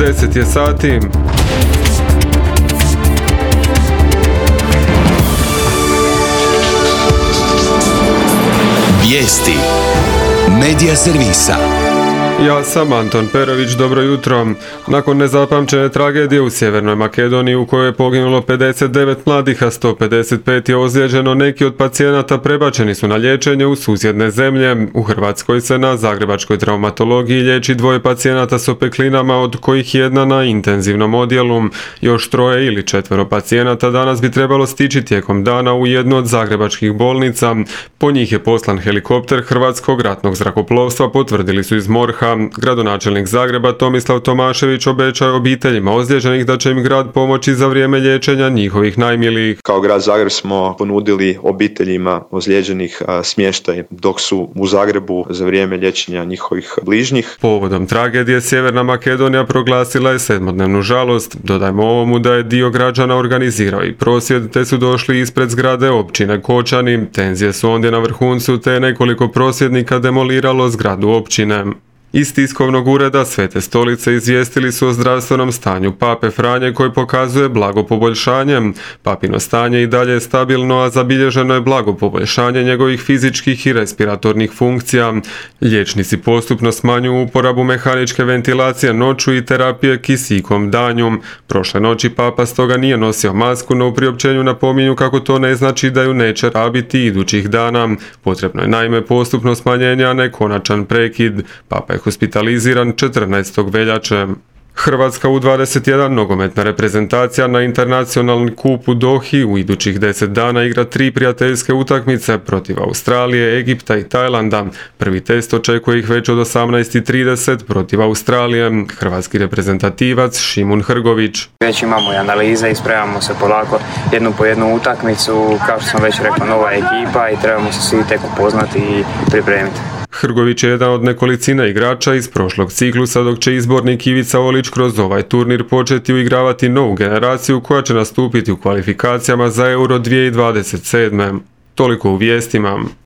10 je sati. Vijesti Medija servisa. Ja sam Anton Perović, dobro jutro. Nakon nezapamćene tragedije u Sjevernoj Makedoniji u kojoj je poginulo 59 mladih, a 155 je ozlijeđeno, neki od pacijenata prebačeni su na liječenje u susjedne zemlje. U Hrvatskoj se na zagrebačkoj traumatologiji liječi 2 pacijenata s opeklinama, od kojih jedna na intenzivnom odjelu. Još 3 ili 4 pacijenata danas bi trebalo stići tijekom dana u jednu od zagrebačkih bolnica. Po njih je poslan helikopter Hrvatskog ratnog zrakoplovstva, potvrdili su iz MORH-a. Gradonačelnik Zagreba Tomislav Tomašević obećao obiteljima ozlijeđenih da će im grad pomoći za vrijeme liječenja njihovih najmilijih. Kao grad Zagreb smo ponudili obiteljima ozlijeđenih smještaj dok su u Zagrebu za vrijeme liječenja njihovih bližnjih. Povodom tragedije Sjeverna Makedonija proglasila je 7-dnevnu žalost. Dodajmo ovomu da je dio građana organizirao i prosvjed, te su došli ispred zgrade općine Kočani. Tenzije su ondje na vrhuncu, te je nekoliko prosvjednika demoliralo zgradu općine. Iz tiskovnog ureda Svete Stolice izvijestili su o zdravstvenom stanju pape Franje, koji pokazuje blago poboljšanje. Papino stanje i dalje je stabilno, a zabilježeno je blago poboljšanje njegovih fizičkih i respiratornih funkcija. Liječnici postupno smanjuju uporabu mehaničke ventilacije noću i terapije kisikom danju. Prošle noći papa stoga nije nosio masku, no u priopćenju napominju kako to ne znači da ju neće rabiti idućih dana. Potrebno je naime postupno smanjenje, a ne konačan prekid. Papa je hospitaliziran 14. veljače. Hrvatska U21 nogometna reprezentacija na internacionalni kup u Dohi u idućih 10 dana igra 3 prijateljske utakmice protiv Australije, Egipta i Tajlanda. Prvi test očekuje ih već od 18:30 protiv Australije. Hrvatski reprezentativac Šimun Hrgović. Već imamo i analize i spremamo se polako jednu po jednu utakmicu. Kao što sam već rekao, nova ekipa i trebamo se svi tek upoznati i pripremiti. Hrgović je jedan od nekolicine igrača iz prošlog ciklusa, dok će izbornik Ivica Olić kroz ovaj turnir početi uigravati novu generaciju koja će nastupiti u kvalifikacijama za Euro 2027. Toliko u vijestima.